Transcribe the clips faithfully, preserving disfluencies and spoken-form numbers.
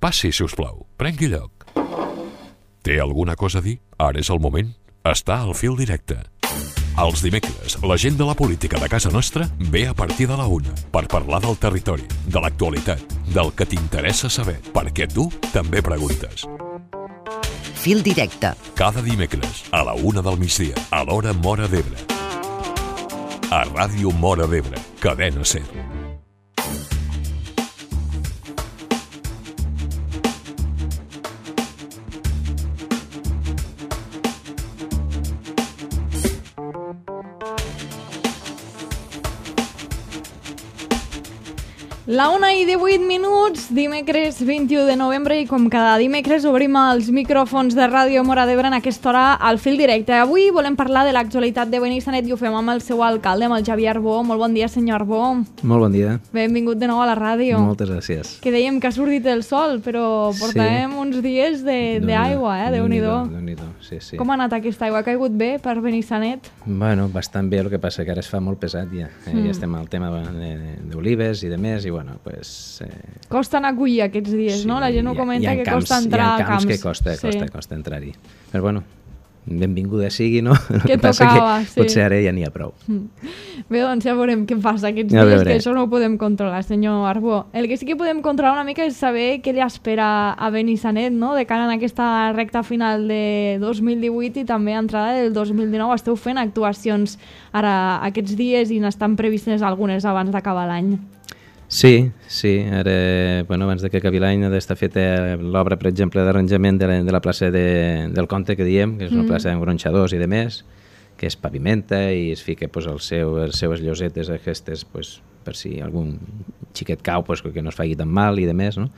Passi, si us plau. Prengui lloc. Té alguna cosa a dir? Ara és el moment. Està al fil directe. Els dimecres, la gent de la política de casa nostra ve a partir de la una per parlar del territori, de l'actualitat, del que t'interessa saber, perquè tu també preguntes. Fil directe. Cada dimecres, a la una del migdia, a l'hora Móra d'Ebre. A Ràdio Móra d'Ebre, Cadena SER. La una i divuit minuts, dimecres vint-i-u de novembre, i com cada dimecres obrim els micròfons de Ràdio Móra d'Ebre en aquesta hora al fil directe. Avui volem parlar de l'actualitat de Benissanet i ho fem amb el seu alcalde, amb el Xavier Arbó. Molt bon dia, senyor Arbó. Molt bon dia. Benvingut de nou a la ràdio. Moltes gràcies. Que dèiem que ha sortit el sol, però portàvem sí. uns dies d'aigua, eh? Déu-n'hi-do. Déu-n'hi-do, sí, sí. Com ha anat aquesta aigua? Ha caigut bé per Benissanet? Bueno, bastant bé, el que passa que ara es fa molt pesat ja. Eh, mm. Ja estem al tema d'olives i de més, i bueno, pues... Eh... Costa anar a collir aquests dies, sí, no? La gent ho comenta que camps, costa entrar a camps. Hi ha camps que costa, sí. costa, costa entrar-hi. Però bueno, benvinguda sigui, no? El que, que passa tocava, que sí. potser ara ja n'hi ha prou. Bé, doncs ja veurem què passa aquests ja dies, veuré. que això no ho podem controlar, senyor Arbó. El que sí que podem controlar una mica és saber què li espera a Benissanet, no? De cara en aquesta recta final de dos mil divuit i també entrada del dos mil dinou. Esteu fent actuacions ara aquests dies i n'estan previstes algunes abans d'acabar l'any. Sí, sí. Ara, bueno, abans de que acabi l'any ha d'estar feta l'obra, per exemple, d'arranjament de, la, de la plaça de, del Conte, que diem, que és una mm. plaça amb gronxadors i de més, que es pavimenta i es fica pues, el seu, les seues llosetes aquestes pues, per si algun xiquet cau pues, que no es faci tan mal i de més, no?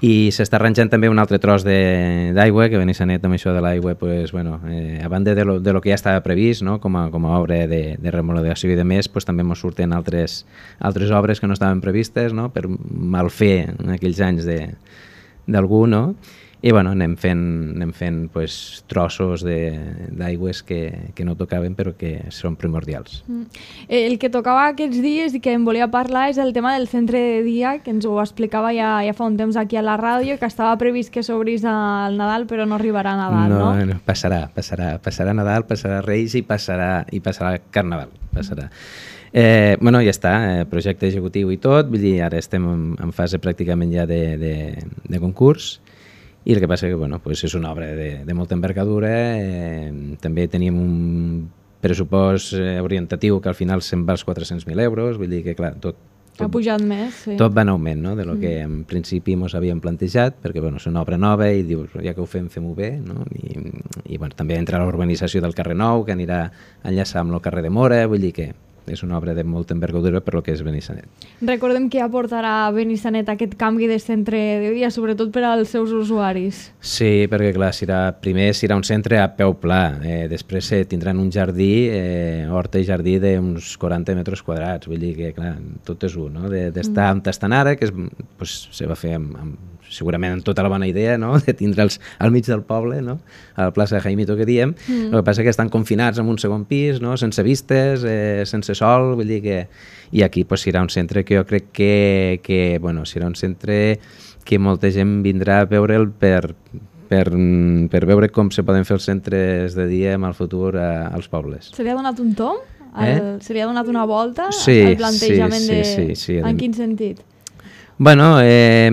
I s'està arranjant també un altre tros d'aigua, que Benissanet amb això de l'aigua, pues, bueno, eh, a banda de lo, de lo que ja estava previst, no? com, a, com a obra de, de remodelació i de més, pues, també ens surten altres, altres obres que no estaven previstes, no? Per mal fer en aquells anys d'algú, no? I bueno, anem fent, anem fent pues, trossos d'aigües que, que no tocaven però que són primordials. Mm. El que tocava aquests dies i que em volia parlar és el tema del centre de dia, que ens ho explicava ja, ja fa un temps aquí a la ràdio, que estava previst que s'obrís al Nadal però no arribarà a Nadal, no? No, no passarà, passarà, passarà Nadal, passarà Reis i passarà, i passarà Carnaval, passarà. Eh, bueno, ja està, eh, projecte executiu i tot, vull dir, ara estem en, en fase pràcticament ja de, de, de concurs. I el que passa que bueno, pues és una obra de, de molta envergadura, eh, també teníem un pressupost eh, orientatiu que al final se'n va als quatre-cents mil euros, vull dir que clar, tot, tot, ha pujat més, sí. Tot va en augment, no?, de lo que en principi ens havíem plantejat, perquè bueno, és una obra nova i dius, ja que ho fem, fem-ho bé, no? I, i bueno, també entra la urbanització del carrer Nou, que anirà a enllaçar amb el carrer de Mora, vull dir que és una obra de molta envergadura per lo que és Benissanet. Recordem que aportarà a Benissanet aquest canvi de centre de dia, sobretot per als seus usuaris. Sí, perquè clar, serà, primer serà un centre a peu pla, eh, després eh, tindran un jardí, eh, horta i jardí d'uns quaranta metres quadrats, vull dir que clar, tot és un, no? D'estar mm. on estan ara, que és, pues, se va fer amb, amb segurament amb tota la bona idea, no?, de tindre'ls al mig del poble, no?, a la plaça de Jaimito, que diem. Mm. El que passa és que estan confinats en un segon pis, no?, sense vistes, eh, sense sol, vull dir que... I aquí pues, serà un centre que jo crec que, que bueno, serà un centre que molta gent vindrà a veure'l per, per, per veure com se poden fer els centres de dia en el futur a, als pobles. Se li ha donat un tomb? El, Eh? Se li ha donat una volta Sí, al plantejament sí, sí, de... sí, sí. En quin sentit? Bueno, eh,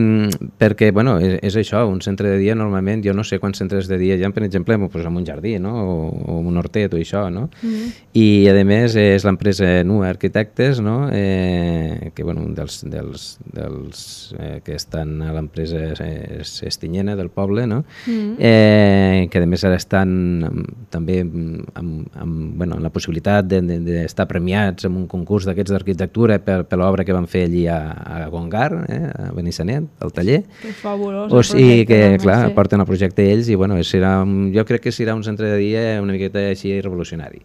perquè bueno, és, és això, un centre de dia normalment, jo no sé quants centres de dia hi ha, per exemple, pues, en un jardí, no?, o, o un hortet o això, no? Mm-hmm. I a més és l'empresa Nua Arquitectes, no?, eh, que bueno, un dels, dels, dels eh, que estan a l'empresa és Estinyena del poble, no?, mm-hmm. eh, que a més ara estan també amb, amb, bueno, amb la possibilitat d'estar de, de premiats en un concurs d'aquests d'arquitectura per, per l'obra que van fer allí a, a Gongar, eh, a Benissanet, al taller. Que fabulós. O sigui que, també, clar, sí. porten el projecte ells i, bueno, serà un, jo crec que serà un centre de dia una miqueta així revolucionari.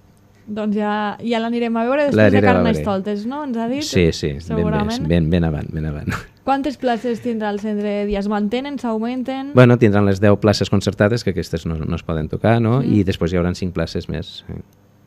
Doncs ja, ja l'anirem a veure després de Carnestoltes, no? Ens ha dit? Sí, sí, segurament. ben, ben, ben avant, ben avant. Quantes places tindrà el centre de dia? Es mantenen, s'augmenten? Bueno, tindran les deu places concertades, que aquestes no, no es poden tocar, no? Mm. I després hi haurà cinc places més.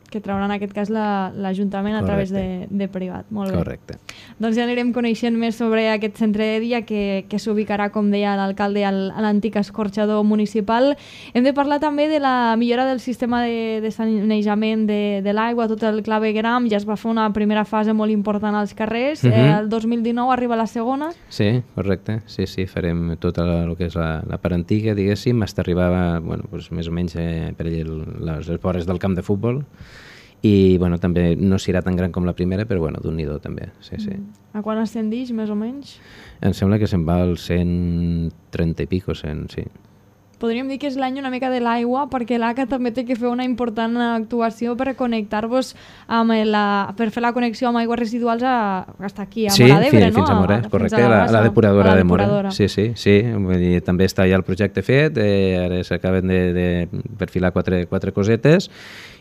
que traurà en aquest cas la- l'Ajuntament a través de, de privat. Molt bé. Correcte. Doncs ja anirem coneixent més sobre aquest centre de dia que, que s'ubicarà, com deia l'alcalde, al- a l'antic escorxador municipal. Hem de parlar també de la millora del sistema de, de sanejament de, de l'aigua, tot el clavegram. Ja es va fer una primera fase molt important als carrers. Mhm. eh, el dos mil dinou arriba la segona. Sí, correcte. Sí, sí, farem tota la, el que és la, la part antiga, diguéssim, fins arribar, bueno, doncs, més o menys eh, per allà el- les, les vores del camp de futbol. I bueno, també no serà tan gran com la primera, però bueno, d'un nidó també, sí, sí. A quan ascendix, més o menys? Em sembla que se'n va al cent trenta i pico, cent, sí. Podríem dir que és l'any una mica de l'aigua, perquè l'A C A també té que fer una important actuació per connectar-vos amb la, per fer la connexió amb aigües residuals a, hasta aquí, a Sí, Móra d'Ebre, fins, no? fins a Móra, fins correcte, a la, bassa, la depuradora a la de Móra. depuradora. Sí, sí, sí, vull dir, també està ja el projecte fet, eh, ara s'acaben de, de perfilar quatre, quatre cosetes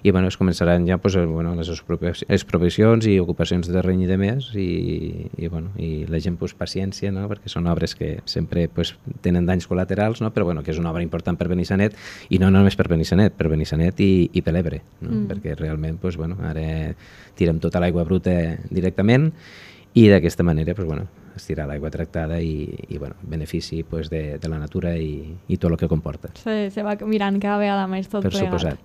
i bueno, es començaran ja pues, bueno, les expropiacions- expropiacions i ocupacions de terreny i de més i, i, bueno, i la gent pues, paciència, no? Perquè són obres que sempre pues, tenen danys col·laterals, no? Però bueno, que és una obra important per Benissanet i no només per Benissanet, per Benissanet i, i per l'Ebre, no? Mm. Perquè realment pues, bueno, ara tirem tota l'aigua bruta directament i d'aquesta manera pues, bueno, es tira l'aigua tractada i, i bueno, benefici pues, de, de la natura i, i tot el que comporta. Se, se va mirant cada vegada més tot Per plegat. suposat.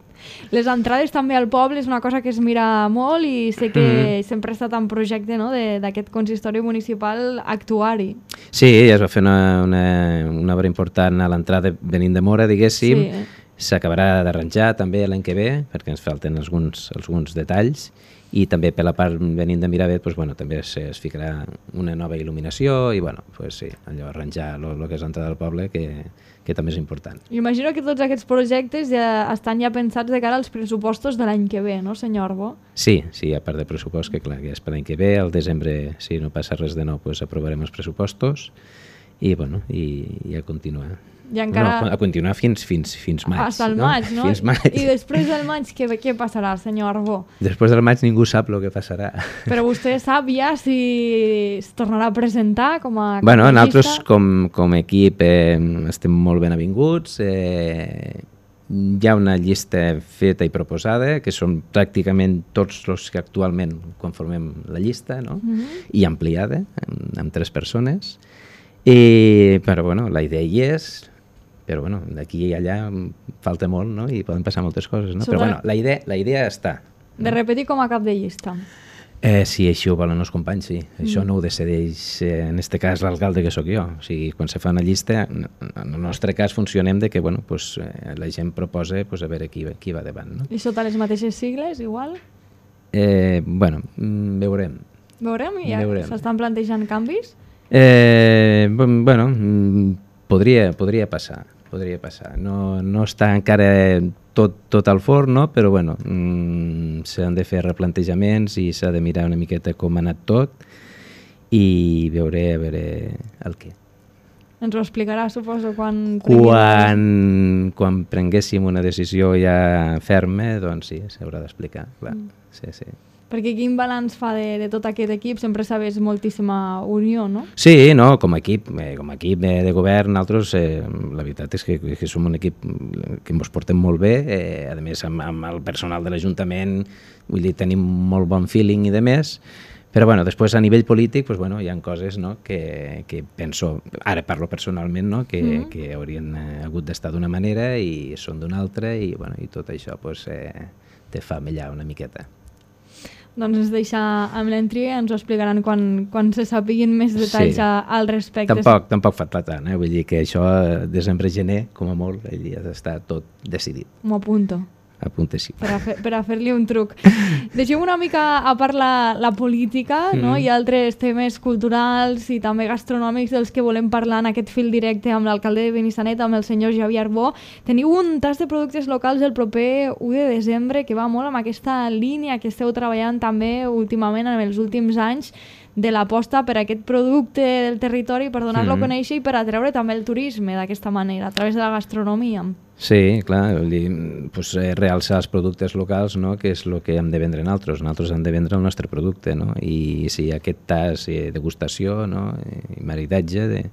Les entrades també al poble és una cosa que es mira molt i sé que Mhm. sempre ha estat en projecte, no?, de- d'aquest consistori municipal actuar-hi. Sí, ja es va fer una, una, una obra important a l'entrada venint de Móra, diguéssim. Sí. S'acabarà d'arranjar també l'any que ve, perquè ens falten alguns, alguns detalls, i també per la part venint de Miravet doncs, bueno, també es, es ficarà una nova il·luminació i bueno, pues, sí, allò arranjar el que és l'entrada del poble, que, que també és important. Imagino que tots aquests projectes ja estan ja pensats de cara als pressupostos de l'any que ve, no, senyor Arbó? Sí, sí, a part de pressupost, que clar, que és per l'any que ve, al desembre, si no passa res de nou, pues, aprovarem els pressupostos i, bueno, i, i a continuar. I encara... No, a continuar fins, fins, fins maig. Hasta el maig, no? Fins maig. I després del maig, què, què passarà, senyor Arbó? Després del maig ningú sap el que passarà. Però vostè sap ja si es tornarà a presentar com a Bueno, capellista? nosaltres com, com a equip eh, estem molt ben avinguts. Eh, hi ha una llista feta i proposada, que són pràcticament tots els que actualment conformem la llista, no? Mhm. I ampliada, amb, amb tres persones. I, però bueno, la idea hi és, però bueno, d'aquí i allà falta molt, no? I poden passar moltes coses, no? Sobre- Però bueno, la idea, la idea està. De repetir com a cap de llista. Eh, si així ho volen els companys, sí. Això no ho decideix, eh, en este cas, l'alcalde que sóc jo. O sigui, quan se fa una llista, en en el nostre cas funcionem de que, bueno, pues, eh, la gent proposa pues, a veure qui, qui va davant, no? I sota les mateixes sigles, igual? Eh, bueno, mm, veurem. Veurem? Ja Veurem. s'estan plantejant canvis? Eh, bu- bueno, mm, podria, podria passar, podria passar. No, no està encara tot, tot al forn, no? Però bueno, mm, s'han de fer replantejaments i s'ha de mirar una miqueta com ha anat tot i veuré a veure el què. Ens ho explicarà, suposo, quan... Quan, quan prenguéssim una decisió ja ferma, doncs sí, s'haurà d'explicar, clar. Sí, sí. Perquè quin balanç fa de, de tot aquest equip? Sempre sabés moltíssima unió, no? Sí, no, com a equip, eh, com a equip eh, de govern, nosaltres, eh, la veritat és que, que som un equip que ens portem molt bé, eh, a més amb, amb el personal de l'Ajuntament, vull dir, tenim molt bon feeling i de més, però bueno, després a nivell polític pues, bueno, hi ha coses no, que, que penso, ara parlo personalment, no, que, mm-hmm. que haurien eh, hagut d'estar d'una manera i són d'una altra i, bueno, i tot això pues, eh, te fa mellar una miqueta. Doncs ens deixa amb l'entriga i ens ho explicaran quan, quan se sapiguin més detalls Sí. a, al respecte. Tampoc, tampoc fa tant, eh? Vull dir que això, eh, desembre-gener, com a molt, ja està tot decidit. M'ho apunto. Apunta sí. Per a, fer, per a fer-li un truc. Deixem una mica a part la, la política, no? Mm. I altres temes culturals i també gastronòmics dels que volem parlar en aquest fil directe amb l'alcalde de Benissanet, amb el senyor Javier Arbó. Teniu un tas de productes locals el proper u de desembre que va molt amb aquesta línia que esteu treballant també últimament en els últims anys de l'aposta per aquest producte del territori, per donar-lo Mm. a conèixer i per atreure també el turisme d'aquesta manera, a través de la gastronomia. Sí, clar, vull dir, pues, eh, realçar els productes locals, no?, que és el que hem de vendre nosaltres. Nosaltres hem de vendre el nostre producte, no? I si aquest tas de degustació, no?, i maridatge de,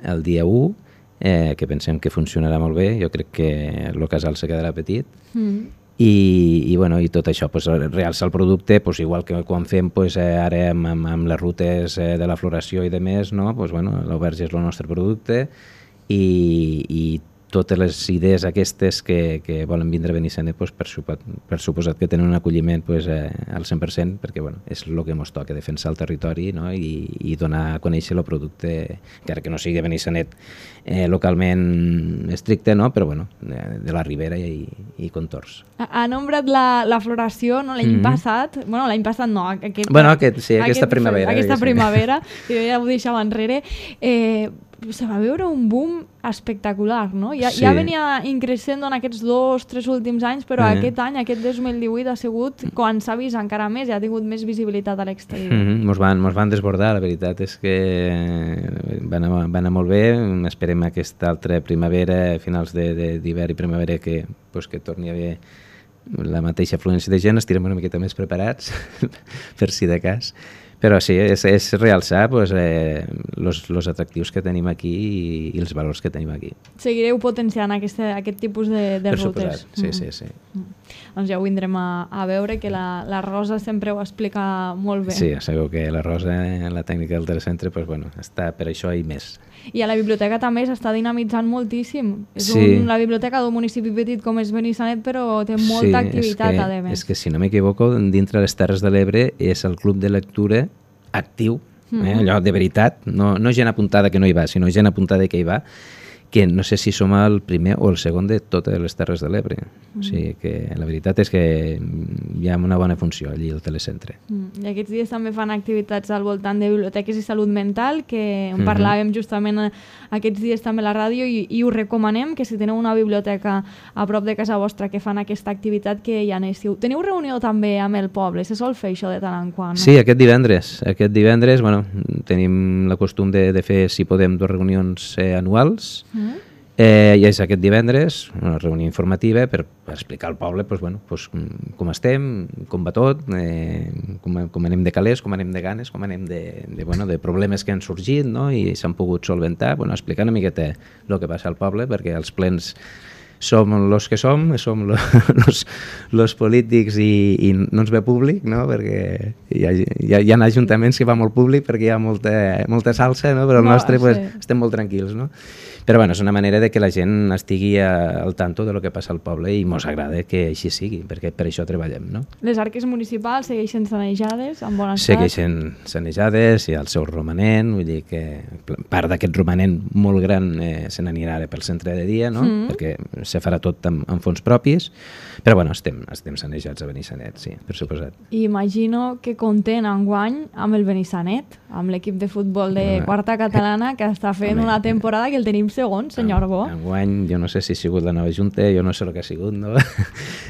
el dia u, eh, que pensem que funcionarà molt bé, jo crec que el casal se quedarà petit, Mm. i, i, bueno, i tot això pues, realça el producte, pues, igual que quan fem pues, eh, ara amb, amb, amb les rutes eh, de la floració i de més, no? Pues, bueno, l'auberge és el nostre producte i, i totes les idees aquestes que, que volen vindre a Benissanet, pues, per, suposat, per suposat que tenen un acolliment pues, eh, al cent per cent, perquè bueno, és el que ens toca, defensar el territori, no? I, i donar a conèixer el producte, encara que no sigui Benissanet eh, localment estricte, no? Però bueno, de, de la Ribera i, i contorns. Ha nombrat la, la floració, no? L'any mm -hmm. passat, bueno, l'any passat no, aquest, bueno, aquest, sí, aquesta aquest, primavera. Aquesta primavera, jo ja ho deixava enrere, eh, se va veure un boom espectacular, no? Ja, sí. ja venia increixent en aquests dos, tres últims anys, però eh. aquest any, aquest dos mil divuit, ha sigut quan s'ha vist encara més i ha tingut més visibilitat a l'exterior. Mm -hmm. Mos van, mos van desbordar, la veritat és que va anar, va anar molt bé, esperem aquesta altra primavera, finals d'hivern i primavera, que, pues, que torni a haver la mateixa afluència de gent, estirem una miqueta més preparats, per si de cas. Però sí, és, és realçar pues, eh, los, los atractius que tenim aquí i, i els valors que tenim aquí. Seguireu potenciant aquest, aquest tipus de, de per rutes. Suposat. Sí, mm. sí, sí. Mm. Doncs ja ho vindrem a, a veure, que la, la Rosa sempre ho explica molt bé. Sí, segur que la Rosa, la tècnica del telecentre, pues, bueno, està per això i més. I a la biblioteca també s'està dinamitzant moltíssim. És sí. un, la biblioteca d'un municipi petit com és Benissanet, però té molta sí, activitat, és que, a més. És que, si no m'equivoco, dintre les Terres de l'Ebre és el club de lectura actiu, eh? mm-hmm. allò de veritat, no, no gent apuntada que no hi va, sinó gent apuntada que hi va, que no sé si som el primer o el segon de totes les Terres de l'Ebre. Mm. O sigui que la veritat és que hi ha una bona funció allí al telecentre. Mm. I aquests dies també fan activitats al voltant de biblioteques i salut mental, que en parlàvem mm-hmm. justament aquests dies també a la ràdio i, i us recomanem que si teniu una biblioteca a prop de casa vostra que fan aquesta activitat, que hi anéssiu. Teniu reunió també amb el poble? Se sol fer això de tant en quant? No? Sí, aquest divendres. Aquest divendres, bueno, tenim la costum de, de fer, si podem, dues reunions eh, anuals. Mm. Eh, I és aquest divendres, una reunió informativa per, per explicar al poble pues, bueno, pues, com estem, com va tot, eh, com, com anem de calés, com anem de ganes, com anem de, de, bueno, de problemes que han sorgit, no? I s'han pogut solventar, bueno, explicar una miqueta el que passa al poble, perquè els plens som els que som, som los, los polítics i, i no ens ve públic, no? Perquè hi ha, hi, ha, hi ha ajuntaments que va molt públic perquè hi ha molta, molta salsa, no? Però el no, nostre sí. pues, estem molt tranquils, no? Però bueno, és una manera de que la gent estigui a, al tanto de lo que passa al poble i mos agrada que així sigui, perquè per això treballem, no? Les arques municipals segueixen sanejades en bon estat? Segueixen sanejades, hi ha el seu romanent, vull dir que part d'aquest romanent molt gran eh, se n'anirà ara pel centre de dia, no? Mm. Perquè se farà tot amb, amb fons propis, però bueno, estem, estem sanejats a Benissanet, sí, per suposat. I imagino que content enguany amb el Benissanet, amb l'equip de futbol de no, quarta catalana, que està fent home, una temporada que el tenim segon, senyor Bo. Enguany, jo no sé si ha sigut la nova junta, jo no sé el que ha sigut, no?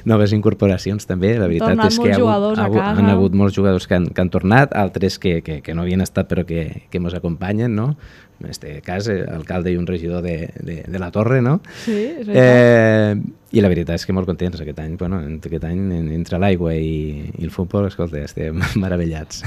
Noves incorporacions també, la veritat tornat és que ha hagut, ha hagut, han hagut molts jugadors que han, que han tornat, altres que, que, que no havien estat però que, que ens acompanyen, no? En este cas, alcalde i un regidor de, de, de la Torre, no? Sí, és veritat. Eh, I la veritat és que molt contents aquest any. Bueno, aquest any, entre l'aigua i, i el futbol, escolta, estem meravellats.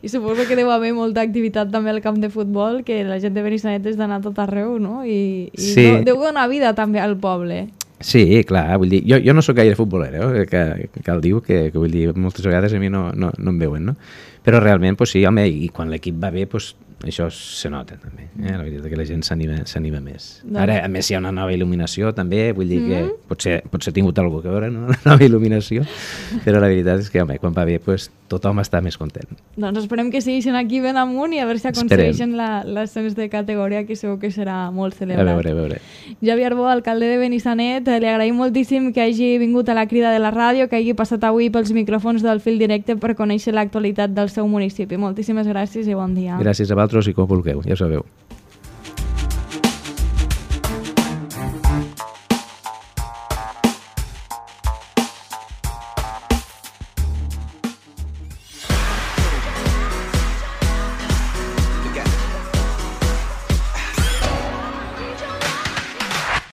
I suposo que deu haver molta activitat també al camp de futbol, que la gent de Benissanet és d'anar tot arreu, no? I, i sí. no, deu donar vida també al poble. Sí, clar, vull dir, jo, jo no sóc gaire futbolero, eh, que, que cal diu, que, que vull dir, moltes vegades a mi no, no, no em veuen, no? Però realment, pues sí, home, i quan l'equip va bé, pues, això se nota també, eh? La veritat que la gent s'anima més. No. Ara, a més, hi ha una nova il·luminació també, vull dir que mm-hmm. potser, potser ha tingut alguna cosa a veure, no? La nova il·luminació, però la veritat és que, home, quan va bé, pues, tothom està més content. Doncs esperem que segueixin aquí ben amunt i a veure si aconsegueixen l'ascens de categoria, que segur que serà molt celebrat. A veure, a veure. Javier Bo, alcalde de Benissanet, li agraïm moltíssim que hagi vingut a la crida de la ràdio, que hagi passat avui pels micròfons del Fil Directe per conèixer l'actualitat del seu municipi. Moltíssimes gràcies i bon dia. Gràcies a vosaltres i com vulgueu, ja ho sabeu.